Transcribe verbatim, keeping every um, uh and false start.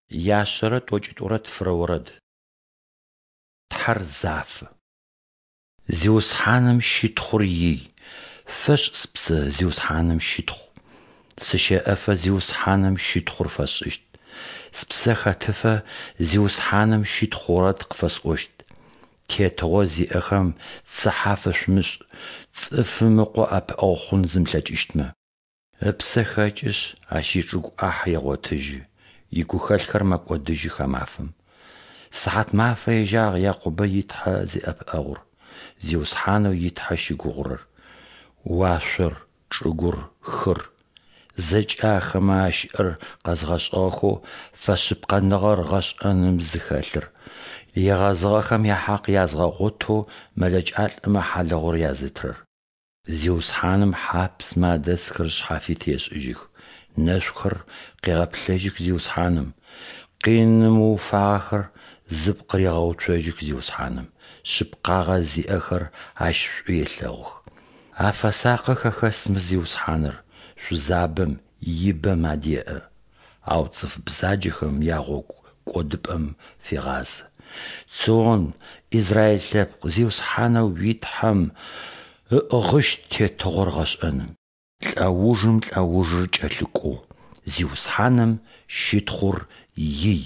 Яшъэрэ тӏокӏитӏурэ тфырэ орэд. Тхьэр зафэ. Зиусхьаным щытхъур ий! Фэшӏ, спсэ, Зиусхьаным щытхъу! Сыщэӏэфэ Зиусхьаным щытхъур фэсшӏыщт. Спсэ хэтыфэ Зиусхьаным щытхъу орэд къыфэсӏощт. Тетыгъо зиӏэхэм цыхьэ афэшъумышӏ, цӏыфым ыкъо ӏэпыӏэгъу хъун зымылъэкӏыщтмэ. Ыпсэ хэкӏышъ, ащ ичӏыгу ӏахь егъотыжьы, игухэлъхэр мэкӏодыжьых а мафэм. Сыхьатмафэ ежьагъ Якъубэ и Тхьэ зиӏэпыӏэгъур, Зиусхьанэу и Тхьэ щыгугъырэр. Уашъор, чӏыгур, хыр – зэкӏэ ахэмэ ащыӏэр къэзгъэшӏыгъэхэу фэшъыпкъэныгъэр гъэшӏэным зыхэлъыр, егъэзыгъэхэм яхьакъ язгъэгъотэу мэлэкӏалӏэмэ хьалыгъур язытырэр. Зиусхьаным хьапсмэ адэсхэр шъхьафит ешӏыжьых, нэшъухэр къегъэплъэжьых Зиусхьаным, къиным ыуфагъэхэр зыпкъ регъэуцожьых Зиусхьаным, шъыпкъагъэ зиӏэхэр Ащ шӏу елъэгъух. Афэсакъы хэхэсмэ Зиусхьаныр, шъузабэм, ибэм адеӏэ. Ау цӏыф бзаджэхэм ягъогу кӏодыпӏэм фегъазэ. Цион, Израиль лъэпкъ, Зиусхьанэу уи Тхьэм ыӏыгъыщт тетыгъор гъэшӏэным, лӏэужым лӏэужыр кӏэлъыкӏоу. Зиусхьаным щытхъур ий!